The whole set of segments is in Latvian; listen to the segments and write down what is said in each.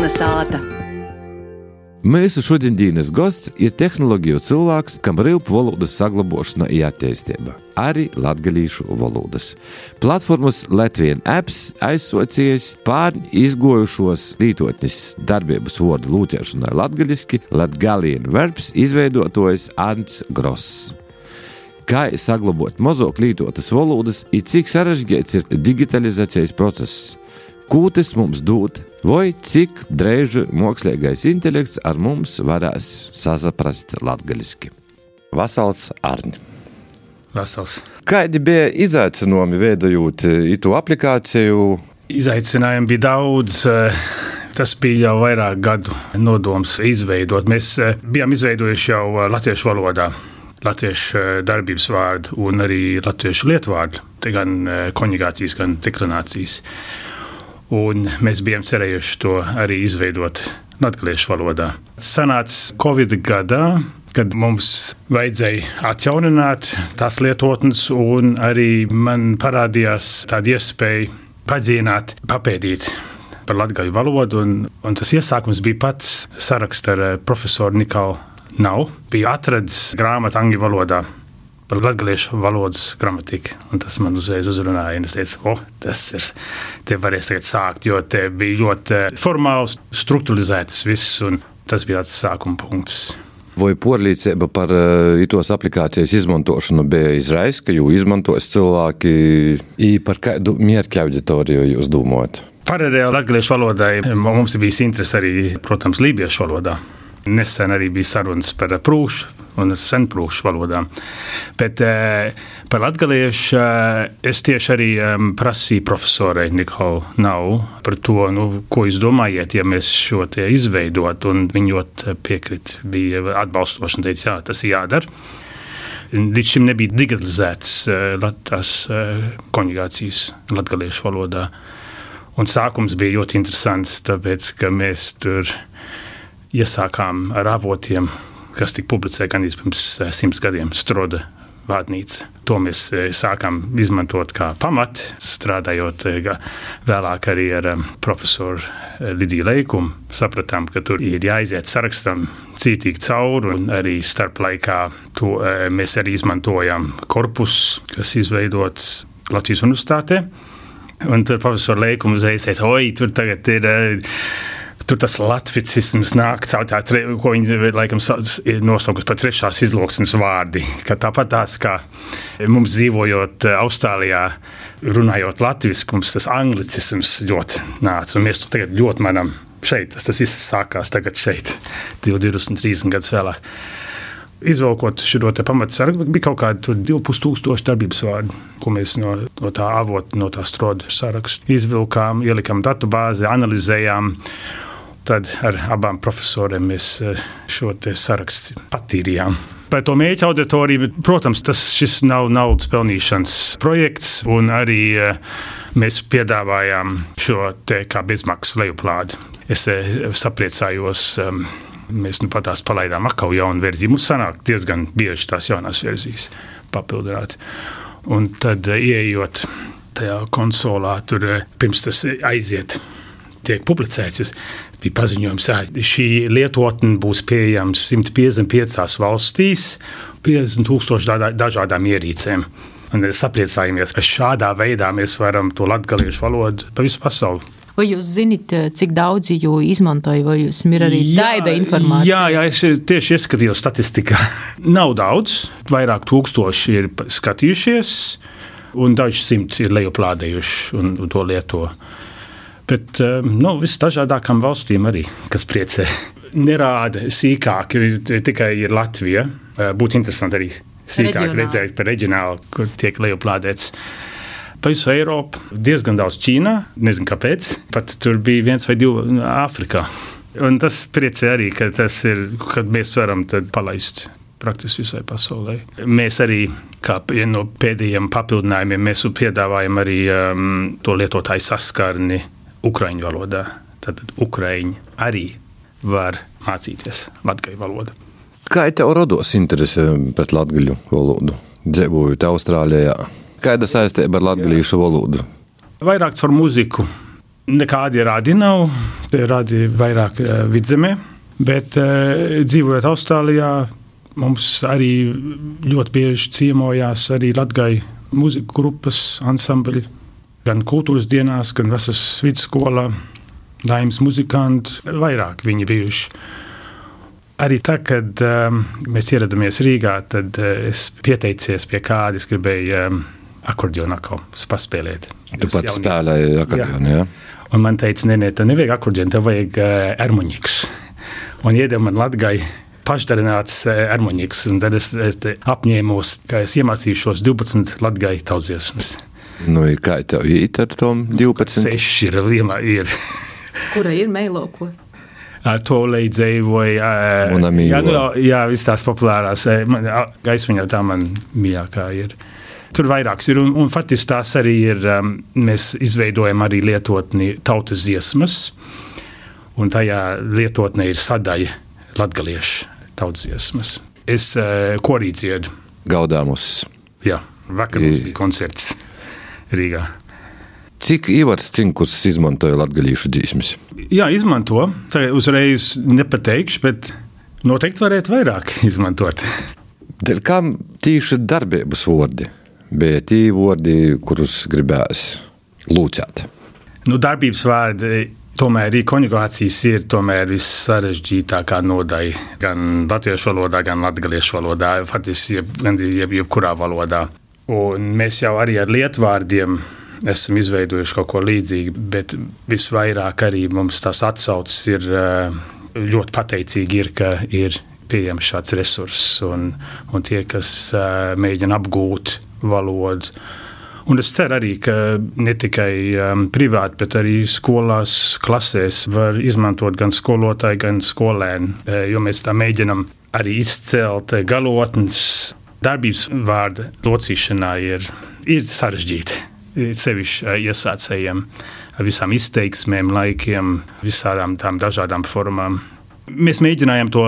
Kalnasāta. Mūsu šodienas gosts ir tehnoloģiju cilvēks, kam rīp valodas saglabošana i attīstība, arī latgalīšu valodas. Platformas Latvian Apps aizsocijies pār izgojušos lītotnes darbības vārdu lūcēšanai latgaliski Latgalian Verbs izveidotojs Ants Gross. Kā saglabot mazāk lītotas valodas i cik sarežģīts ir digitalizācijas process? Ko tas mums dod, vai cik drēži mākslīgais intelekts ar mums varēs sasaprast latgaliski? Vasals Arni. Vasals. Kādi bija izaicinājumi veidojot itu aplikāciju? Izaicinājumi bija daudz. Tas bija jau vairāk gadu nodoms izveidot. Mēs bijām izveidojuši jau latviešu valodā. Latviešu darbības vārdu un arī latviešu lietvārdu. Te gan konjugācijas, gan deklinācijas. Un mēs bijām cerējuši to arī izveidot latgaliešu valodā. Sanāca Covid gadā, kad mums vajadzēja atjaunināt tās lietotnes, un arī man parādījās tāda iespēja padziļināt, papētīt par latgaļu valodu, un tas iesākums bija pats saraksts ar profesoru Nikalu Nau. Bija atradis grāmatu angļu valodā par latgaliešu valodas gramatiku, un tas man uzreiz uzrunāja, un es teicu, tas ir, te varēs tagad sākt, jo te bija ļoti formāls, strukturalizēts viss, un tas bija tāds sākuma punkts. Vai porlīdzība par itos aplikācijas izmantošanu bija izraisa, ka jū izmantos cilvēki, i par kādu mērķu auditoriju jūs domājat? Paralēli latgaliešu valodai mums bija interese arī, protams, lībiešu valodā. Nesen arī bija sarunas par prūšu un senprūšu valodām. Bet par latgaliešu es tieši arī prasīju profesorai Nikalu Nau par to, ko jūs domājat, ja mēs šo te izveidot, un viņi ļoti piekrit, bija atbalstoši un teica, jā, tas ir jādara. Līdz šim nebija digitalizētas tās konjugācijas latgaliešu valodā. Un sākums bija ļoti interesants, tāpēc, ka mēs tur iesākām ar avotiem, kas tika publicēti gandrīz pirms 100 gadiem, Stroda vārnīca. To mēs sākām izmantot kā pamatu, strādājot vēlāk arī ar profesoru Lidiju Leikumu. Sapratām, ka tur ir jāiziet sarakstam cītīgi cauri, un arī starp laikā to mēs arī izmantojām korpusu, kas izveidots Latvijas universitātē. Un tur profesora Leikumu uzreiz teica, tur tagad ir... Tur tas latvicisms nāk caur tā, ko viņi laikam nosaukusi par trešās izloksnes vārdi. Ka tāpat tās, kā mums dzīvojot Austrālijā, runājot latviski, mums tas anglicisms ļoti nāca. Un mēs to tagad ļoti manam šeit. Tas viss sākās tagad šeit, 20-30 gadus vēlāk. Izvalkot šo te pamatsargu, bija kaut kādi 2500 darbības vārdi, ko mēs no tā avota, no tā Stroda sarakstu izvilkām, ielikām datubāzi, analizējām. Tad ar abām profesoriem mēs šo te sarakstu patīrījām. Par to mērķa auditoriju, protams, šis nav naudas pelnīšanas projekts, un arī mēs piedāvājām šo te kā bezmaksas lejuplādi. Es sapriecājos, mēs patās palaidām atkal jaunu versiju. Mums sanāk diezgan bieži tās jaunās versijas papildināt. Un tad ieejot tajā konsolā, tur pirms tas aiziet, tiek publicēts, bija paziņojums, šī lietotne būs pieejams 155 valstīs, 50,000 dažādām ierīcēm. Un sapriecājamies, ka šādā veidā mēs varam to latgaliešu valodu pa visu pasauli. Vai jūs zināt, cik daudzi jū izmantoja, vai jūs ir arī tāda informācija? Jā, es tieši ieskatījos statistikā. Nav daudz, vairāk tūkstoši ir skatījušies, un daži simti ir lejuplādējuši un to lieto. Bet visdažādākām valstīm arī, kas priecē. Nerāda sīkāk, tikai ir Latvija. Būtu interesanti arī sīkāk redzēt par reģionālu, kur tiek lejuplādēts. Pa visu Eiropu, diezgan daudz Ķīnā, nezinu kāpēc, pat tur bija 1 vai 2 Āfrikā. Un tas priecē arī, ka tas ir, kad mēs varam tad palaist praktiski visai pasaulē. Mēs arī, kā viena no pēdējiem papildinājumiem, mēs piedāvājam arī to lietotāju saskarni ukraiņu valodā. Tātad ukraiņi arī var mācīties latgaļu valodu. Kā tev rodos interese pret latgaļu valodu? Dzīvojot Austrālijā. Kāda saistība ar latgalīšu valodu? Vairāk caur muziku. Nekādi rādi nav, rādi vairāk Vidzemē, bet dzīvojot Austrālijā, mums arī ļoti bieži ciemojās arī Latgai mūziku grupas ansambļi, gan kultūras dienās, gan vasaras vidusskolā, Daimas muzikanti, vairāk viņi bijuši. Arī tā, kad mēs ieradāmies Rīgā, tad es pieteicies pie kāda, es gribēju akordionu atkal paspēlēt. Tu pats spēlēji akordionu, jā? Un man teica, nē, tev nevajag akordionu, tev vajag ermuņiks. Un iedeva man Latgai pašdarināts ermuņiks, un tad es apņēmos, ka es iemācīšos 12 Latgai tautsdziesmas. Nu, kā tev īt ar tom 12? 6 ir. Kura ir meiloko? To leidzēju vai... Jā, viss tās populārās. Gaismiņā tā man mīļākā ir. Tur vairāks ir, un faktiski tās arī ir, mēs izveidojam arī lietotni tautas dziesmas, un tajā lietotnē ir sadaļa latgaliešu tautas dziesmas. Es korī dziedu. Gaudāmus. Jā, vakar mums bija koncerts Rīgā. Cik Ivars Cinkus izmantoja latgalīšu dziesmas? Jā, izmanto. Uzreiz nepateikšu, bet noteikti varētu vairāk izmantot. Dēļ kam tīši darbības vārdi? Bija tī vārdi, kurus gribēs lūcēt? Darbības vārdi, tomēr arī konjugācijas ir tomēr vissarežģītākā nodaļa. Gan latviešu valodā, gan latgaliešu valodā, faktiski jebkurā valodā. Un mēs jau arī ar lietvārdiem esam izveidojuši kaut ko līdzīgu, bet visvairāk arī mums tās atsauces ir ļoti pateicīgi, ka ir pieejams šāds resurss un tie, kas mēģina apgūt valodu. Un es ceru arī, ka ne tikai privāti, bet arī skolās, klasēs var izmantot gan skolotāji, gan skolēni, jo mēs tā mēģinam arī izcelt galotnes. Darbības vārda locīšanā ir sarežģīti, sevišķi iesācējiem ar visām izteiksmēm, laikiem, visādām tām dažādām formām. Mēs mēģinājām to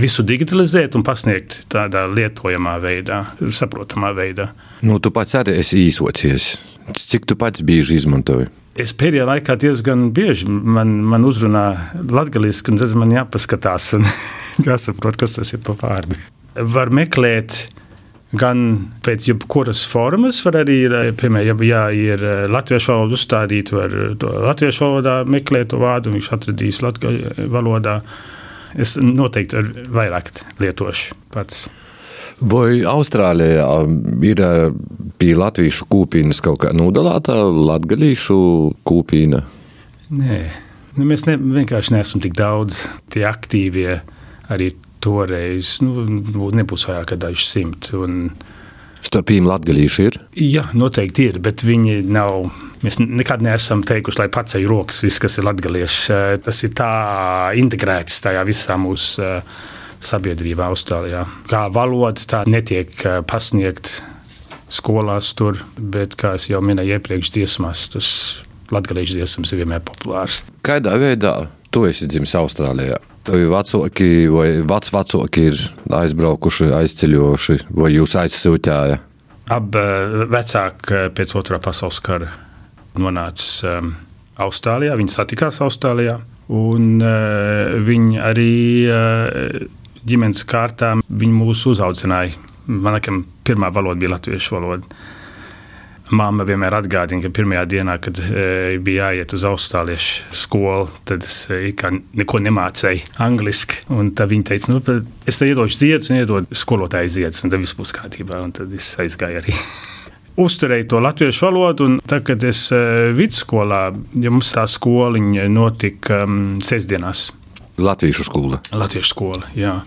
visu digitalizēt un pasniegt tādā lietojamā veidā, saprotamā veidā. Tu pats arī esi īsocies. Cik tu pats bieži izmantoji? Es pēdējā laikā diezgan bieži man uzrunā latgaliski, un tad man jāpaskatās un jāsaprot, kas tas ir pa vārdu. Var meklēt gan pēc jebkuras formas, var arī, piemēram, ja ir latviešu valoda uzstādīt, var to latviešu valodā meklēt to vārdu, viņš atradīs latgaļu valodā. Es noteikti vairāk lietošu pats. Vai Austrālijā ir pie latviešu kūpīnas kaut kā nodalāta latgalīšu kūpīna? Nē, mēs vienkārši neesam tik daudz tie aktīvie arī toreiz, nebūs vairāk kā daži simti. Starpīm latgalīši ir? Jā, noteikti ir, bet viņi nav, mēs nekad neesam teikuši, lai paceļ rokas viss, kas ir latgalieši. Tas ir tā integrēts tajā visā mūsu sabiedrībā Austrālijā. Kā valoda tā netiek pasniegt skolās tur, bet, kā es jau minēju iepriekš dziesmās, tas latgaliešu dziesmas ir vienmēr populārs. Kādā veidā tu esi dzimis Austrālijā? Tavi vecāki vai vecvecāki ir aizbraukuši, aizceļojuši, vai jūs aizsūtījāt? Abi vecāki pēc Otrā pasaules kara nonāca Austrālijā, viņi satikās Austrālijā, un viņi arī ģimenes kārtā viņi mūs uzaudzināja. Man pirmā valoda bija latviešu valoda. Mamma vienmēr atgādina, ka pirmajā dienā, kad bija jāiet uz austrāliešu skolu, tad es neko nemācēju angliski. Un tad viņa teica, es te iedošu ziedus un iedodu skolotāju ziedus, un tad viss būs kārtībā. Un tad es aizgāju arī. Uzturēju to latviešu valodu, un tad, kad es vidusskolā, ja mums tā skoliņa notika sestdienās. Latviešu skola? Latviešu skola, jā.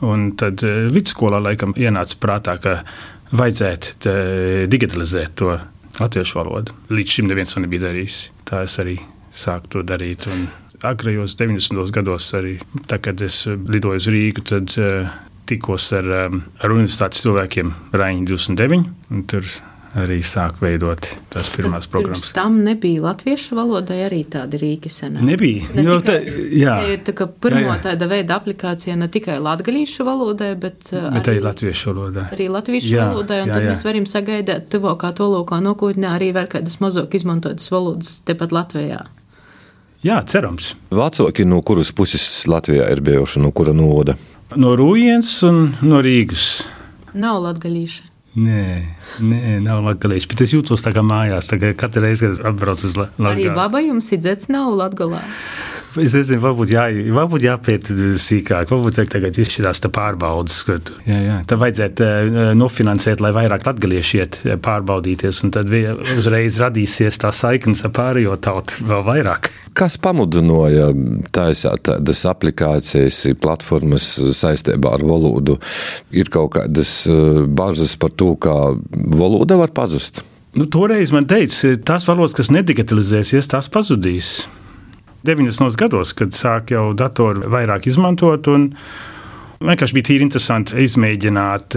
Un tad vidusskolā laikam ienāca prātā, ka vajadzētu digitalizēt to latviešu valodu. Līdz šim neviens to nebija darījis. Tā es arī sāku to darīt. Un agrajos 90. gados arī, tā, kad es lidoju uz Rīgu, tad tikos ar universitātes cilvēkiem Raiņa 29. Un tur arī sāk veidot tās pirmās programmas. Pirms tam nebija latviešu valodai arī tādi rīki senā? Nebija. Jā. Ir tā, ka pirmo tāda veida aplikācija ne tikai latgalīšu valodai, bet arī latviešu valodai. Arī latviešu valodai, un tad mēs varam sagaidāt tuvākā tolūkā nākotnē arī vēl kādas mazāk izmantotas valodas tepat Latvijā. Jā, cerams. Vecāki no kuras puses Latvijā ir bijuši, no kura novada? No Rūjienas un no Rīgas. Nav latgalīši. Nē, nav latgalīši, bet es jūtos tā kā mājās, tā kā katru reizi, kad atbrauc uz Latgali. Arī baba jums ir dzets nav Latgalā? Es nezinu, varbūt jāpēt sīkāk, varbūt tagad izšķirās tā pārbaudas. Tā vajadzētu nofinansēt, lai vairāk latgalieši iet pārbaudīties, un tad uzreiz radīsies tā saiknes ar pārējo tautu vēl vairāk. Kas pamudināja taisāt tādas aplikācijas, platformas saistībā ar valodu? Ir kaut kādas bažas par to, kā valoda var pazust? Toreiz man teica, tās valodas, kas nedigitalizēsies, tās pazudīs. 90. gados, kad sāk jau datoru vairāk izmantot, un vienkārši bija tīri interesanti izmēģināt.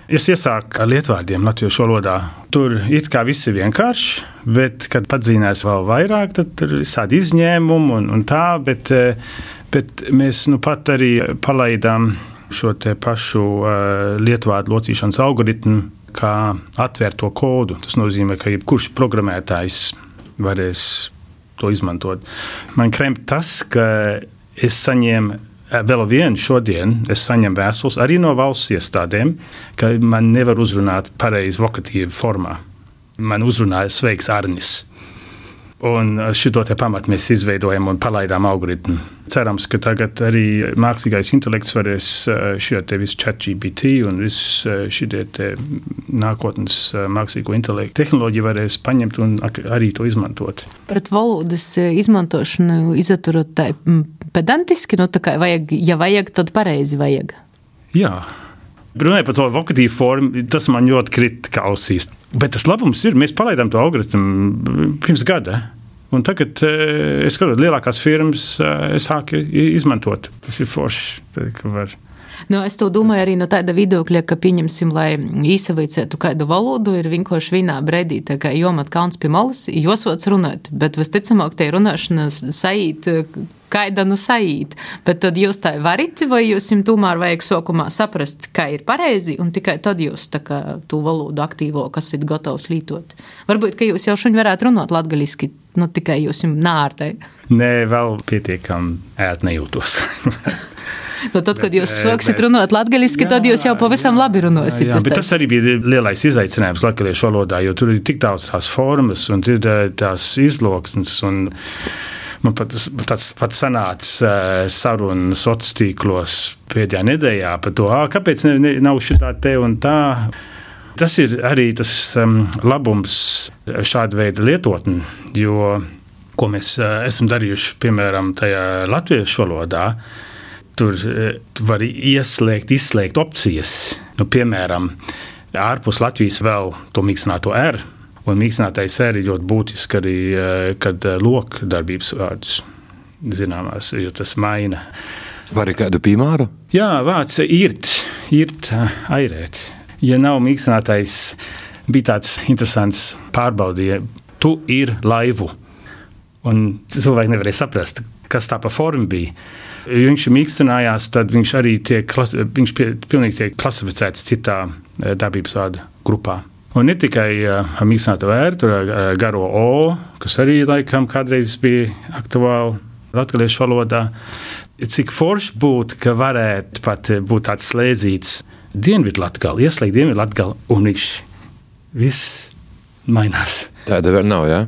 Es iesāku ar lietvārdiem latviešu valodā. Tur it kā viss ir vienkārši, bet, kad padzīnās vēl vairāk, tad tur ir visādi izņēmumi un tā, bet mēs pat arī palaidām šo te pašu lietvārdu locīšanas algoritmu, kā atvērt to kodu. Tas nozīmē, ka jebkurš programmētājs varēs to izmantot. Man kremp tas, ka es saņēmu vēl vienu šodien, es saņemu vēstules arī no valsts iestādēm, ka man nevar uzrunāt pareizi vokatīvu formā. Man uzrunāja sveiks Arnis. Un šito te pamatu mēs izveidojam un palaidām algoritmu. Cerams, ka tagad arī mākslīgais intelekts varēs šo te visu ChatGPT un visu šitie te nākotnes mākslīgo intelektu tehnoloģiju varēs paņemt un arī to izmantot. Pret valodas izmantošanu izturot tā pedantiski, tā kā vajag, ja vajag, tad pareizi vajag. Jā. Runājot par to vokatīvu formu, tas man ļoti krita ausīs. Bet tas labums ir, mēs palaidām to algoritmu pirms gada. Un tagad es skatos, lielākās firmas sāk izmantot. Tas ir forši. Es to domāju arī no tāda viedokļa, ka pieņemsim, lai īsaveicētu kādu valodu, ir vienkārši vienā brīdī, tā kā jomat kauns pie malas, josots runāt, bet visticamāk te runāšana saīt, kaida saīt, bet tad jūs tā varat, vai jūs tomēr vajag sokumā saprast, kā ir pareizi, un tikai tad jūs tā kā tu valodu aktīvo, kas ir gatavs lītot. Varbūt, ka jūs jau šuņ varētu runāt latgaliski, tikai jūs nārtai. Nē, vēl pietiekam ēt nejūtos. Tad, kad jūs sāksiet runāt latgaliski, tad jūs jau pavisam labi runāsiet. Jā, bet tas arī bija lielais izaicinājums latgaliešu valodā, jo tur ir tik daudz tās formas un ir tās izloksnes. Un man pats sanāca saruna sociālos tīklos pēdējā nedēļā par to, kāpēc nav šitā te un tā. Tas ir arī tas labums šāda veida lietotni, jo, ko mēs esam darījuši, piemēram, tajā latviešu valodā, tur var izslēgt opcijas. Piemēram, ārpus Latvijas vēl to mīkstināto R, un mīkstinātais R ir ļoti būtiski arī, kad lok darbības vārdus zināmās, jo tas maina. Var ir kādu piemēru? Jā, vārds irt, airēt. Ja nav mīkstinātais, bija tāds interesants pārbaudīja, tu ir laivu. Un cilvēki nevarēja saprast, kas tā pa forma bija. Ja viņš mīkstinājās, tad viņš arī pilnīgi tiek klasificēts citā darbības vārdu grupā. Un ne tikai mīkstināto R, tur garo O, kas arī laikam kādreiz bija aktuāli latgaliešu valodā. Cik forši būtu, ka varētu pat būt tāds slēdzīts Dienvidlatgali, ieslēgt Dienvidlatgali, un viņš viss mainās. Tāda vēl nav, jā?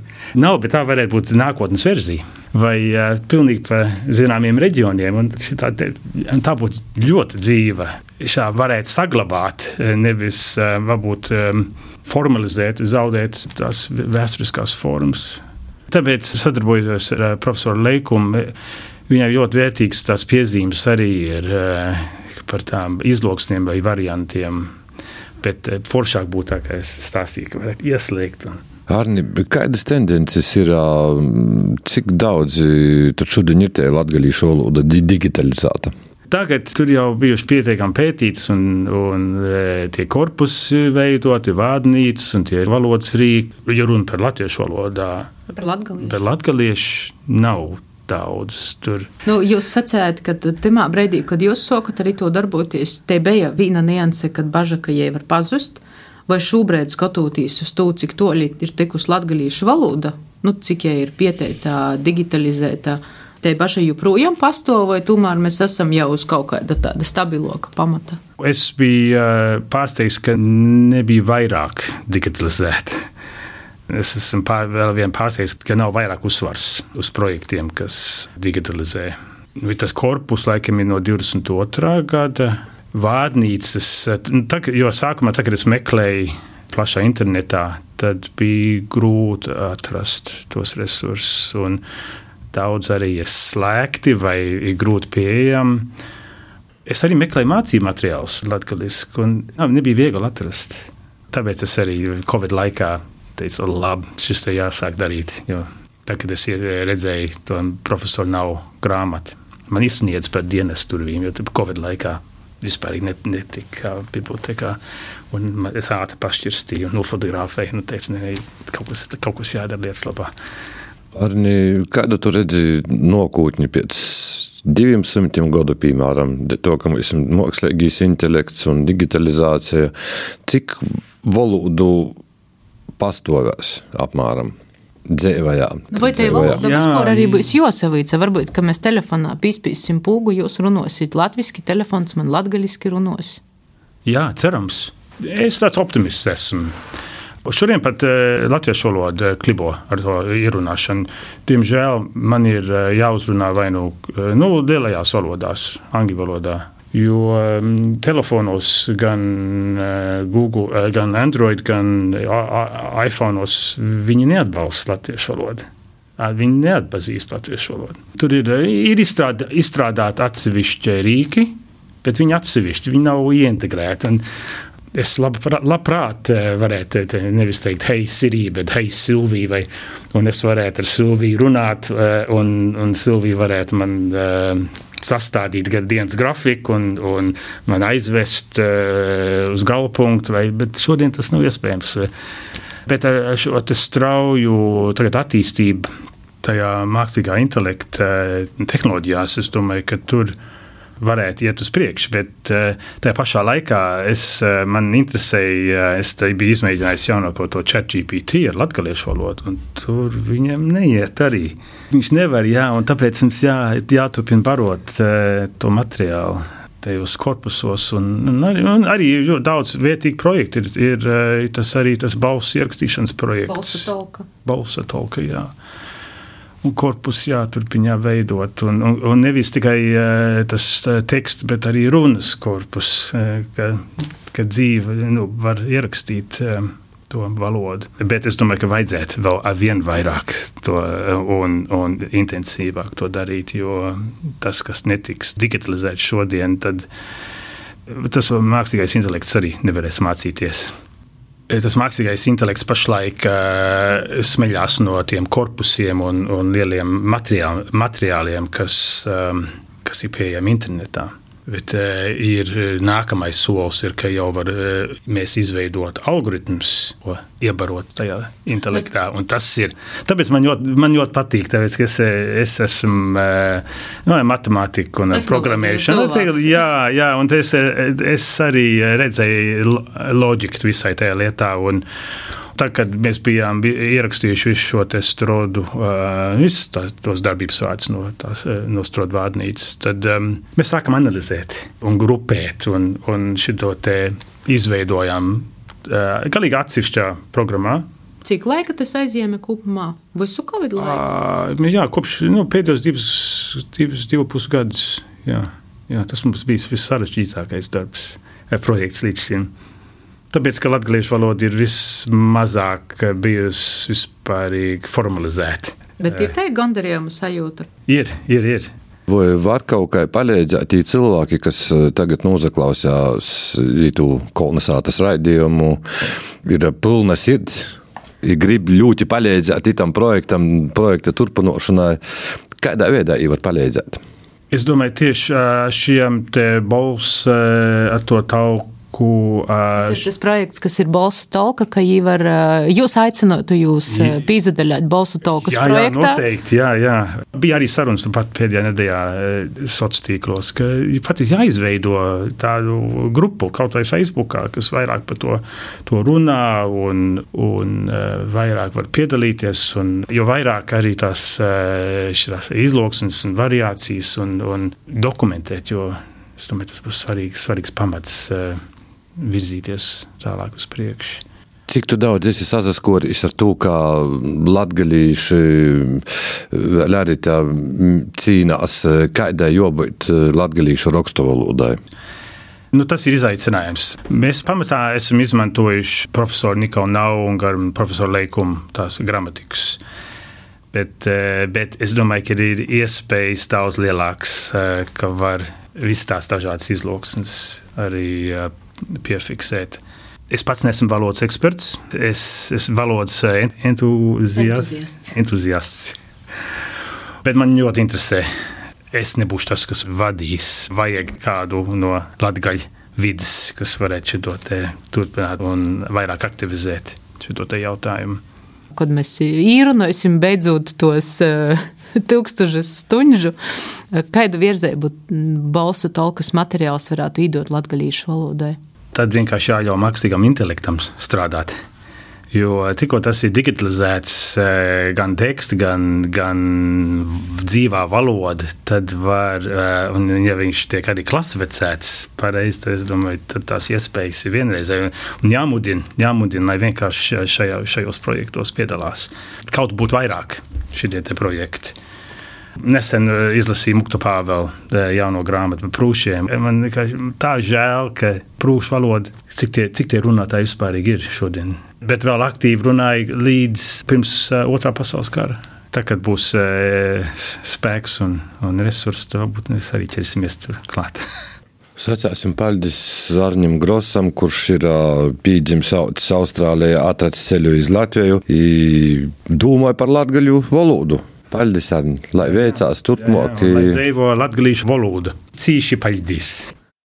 Nav, bet tā varētu būt nākotnes verzija. Vai pilnīgi pa zināmiem reģioniem, un tā būtu ļoti dzīva. Šā varētu saglabāt, nevis varbūt formalizēt, zaudēt tās vēsturiskās formas. Tāpēc sadarbojos ar profesoru Leikumu. Viņai ļoti vērtīgs tās piezīmes arī ir par tām izloksniem vai variantiem, bet foršāk būtu tā, kā es stāstīju, ka varētu ieslēgt. Arni, kādas tendences ir, cik daudz tur šodien ir tie latgalīšu valoda digitalizēta? Tagad tur jau bijuši pietiekami pētīts un tie korpusi veidoti, vārnīcas un tie valodas rīki. Ja runa par latviešu valodā, par latgaliešu nav daudz tur. Jūs sacējāt, ka timā breidī, kad jūs sokat arī to darboties, te bija viena nianse, kad baža, ka jai var pazust, vai šobrīd skatoties uz to, cik toļi ir tikus latgaliešu valoda, cik jai ir pieteikta, digitalizēta, te baža joprojām pastāv, vai tomēr mēs esam jau uz kaut kāda tāda stabiloka pamata? Es biju pārsteigts, ka nebija vairāk digitalizēta. Es esmu vēl vien pārsteigts, ka nav vairāk uzsvars uz projektiem, kas digitalizē. Tas korpus laikam ir no 22. gada. Vārnīcas, jo sākumā, kad es meklēju plašā internetā, tad bija grūti atrast tos resursus un daudz arī ir slēgti vai ir grūti pieejami. Es arī meklēju mācību materiālus latgaliski un nebija viegli atrast. Tāpēc es arī Covid laikā teicu, labi, šis te jāsāk darīt, jo tā, kad es redzēju, to profesoru nav grāmati. Man izsniedz par dienas turvīm, jo Covid laikā vispār netika bibliotekā, un es ātri pašķirstīju, nofotografēju, teicu, kaut kas jādara lietas labā. Arni, kādu tu redzi nokūtņi pēc 200 gadu, piemēram, to, ka mums ir mākslīgais intelekts un digitalizācija, cik valodu pastāvēs apmēram dzēvajā? Vai te valoda vispār arī būs josavīca? Varbūt, ka mēs telefonā pīspīsim pūgu, jūs runosit latviski, telefons man latgaliski runos. Jā, cerams. Es tāds optimists esmu. Šodien pat latviešu valoda klibo ar to ierunāšanu. Diemžēl man ir jāuzrunā vai lielajās valodās, angļu valodā, jo telefonos gan Google, gan Android, gan iPhone'os viņi neatbalsta latviešu valodu. Viņi neatpazīst latviešu valodu. Tur ir izstrādāti atsevišķi rīki, bet viņi atsevišķi, viņi nav ieintegrēti. Es labprāt varētu nevis teikt, hei Siri, bet hei Silvija, un es varētu ar Silviju runāt, un Silvija varētu man sastādīt dienas grafiku un man aizvest uz galvpunktu, bet šodien tas nav iespējams. Bet ar šo strauju attīstību tajā mākslīgā intelekta tehnoloģijās, es domāju, ka tur varētu iet uz priekšu, bet tajā pašā laikā man interesēja, es biju izmēģinājis jaunāko to ChatGPT ar latgaliešu valodu, un tur viņam neiet arī. Viņš nevar, un tāpēc mums jāturpina barot to materiālu tajos korpusos, un arī daudz vietīgi projekti ir tas balss ierakstīšanas projekts. Balsa tolka, jā. Un korpus jāturpina veidot, un nevis tikai tas teksts, bet arī runas korpus, ka dzīve var ierakstīt to valodu. Bet es domāju, ka vajadzētu vēl vien vairāk to un intensīvāk to darīt, jo tas, kas netiks digitalizēts šodien, tad tas mākslīgais intelekts arī nevarēs mācīties. Tas mākslīgais intelekts pašlaik smeļās no tiem korpusiem un lieliem materiāliem, kas ir pieejami internetā. Bet ir nākamais solis, ka jau var mēs izveidot algoritmus, ko iebarot tajā intelektā. Un tas ir, tāpēc man ļoti patīk, tāpēc, ka es esmu matemātika un programmēšana. Jā, un es arī redzēju loģiku visai tajā lietā. Un tā, kad mēs bijām ierakstījuši visu šo te strodu, tos darbības vārdus no strodu vārnīcas, tad mēs sākam analizēt un grupēt un šito te izveidojām galīgi atsevišķā programmā. Cik laika tas aizņēma kopumā? Visu Covid laiku? Jā, kopš pēdējos 2,5 gadus. Jā, tas mums bija vissarežģītākais darbs, projekts līdz šim. Tāpēc, ka latgaliešu valoda ir vismazāk bijusi vispārīgi formalizēta. Bet ir te gandarījuma sajūta? Ir. Vai var kaut kā palīdzēt tī cilvēki, kas tagad nozaklausās ītū kolonizātas raidījumu, ir pilna sirds, ir grib ļoti palīdzēt itam projekta turpinošanai. Kādā veidā var palīdzēt? Es domāju, tieši šiem te bols ar to tauku. Tas ir tas projekts, kas ir Bolsu Tolka, ka jūs aicinātu pīzadaļāt Bolsu Tolkas projektā? Jā, noteikti, jā. Bija arī sarunas pat pēdējā nedēļā sociālos tīklos, ka pat jāizveido tādu grupu, kaut vai Facebookā, kas vairāk par to runā un vairāk var piedalīties, jo vairāk arī tās izloksnes un variācijas un dokumentēt, jo es domāju, tas būs svarīgs pamats virzīties tālāk uz priekšu. Cik tu daudz esi sasaskoris ar to, kā latgalīši arī tā cīnās, kādai jābūt latgalīšu rakstuvalodai? Tas ir izaicinājums. Mēs pamatā esam izmantojuši profesoru Nikolu Nau un profesoru Leikumu tās gramatikas. Bet es domāju, ka ir iespējas daudz lielāks, ka var visas tās dažādas izloksnes arī piefiksēt. Es pats neesmu valodas eksperts, es valodas entuziasts. Bet man ļoti interesē. Es nebūšu tas, kas vadīs. Vajag kādu no latgaļu vidas, kas varētu šo te turpināt un vairāk aktivizēt šo te jautājumu. Kad mēs īrunāsim beidzot tos 1000 stundu, kādu virzēbu Bolsu Tolkas materiāls varētu iedot latgalīšu valodai? Tad vienkārši jāļauj mākslīgam intelektam strādāt. Jo tikko tas ir digitalizēts gan teksts, gan dzīvā valoda, tad var, un ja viņš tiek arī klasificēts pareizi, tad es domāju, tad tās iespējas ir vienreizēji. Un jāmudina, lai vienkārši šajos projektos piedalās. Kaut būtu vairāk šitie te projekti. Nesen izlasīju Muktu Pāvela jauno grāmatu par prūšiem. Man tā žēl, ka prūšu valoda, cik tie runātāji vispārīgi ir šodien. Bet vēl aktīvi runāja līdz pirms Otrā pasaules kara. Tā, kad būs spēks un resursi, tad varbūt mēs arī ķersimies tur klāt. Sacāsim paldies Arņam Grosam, kurš ir pīdzims Austrālijā, atracis ceļu iz Latviju i domāja par latgaļu valodu. Paldies, Arni, lai veicās turpmāk. Lai dzīvo latgalīšu valodu. Cīši paldies.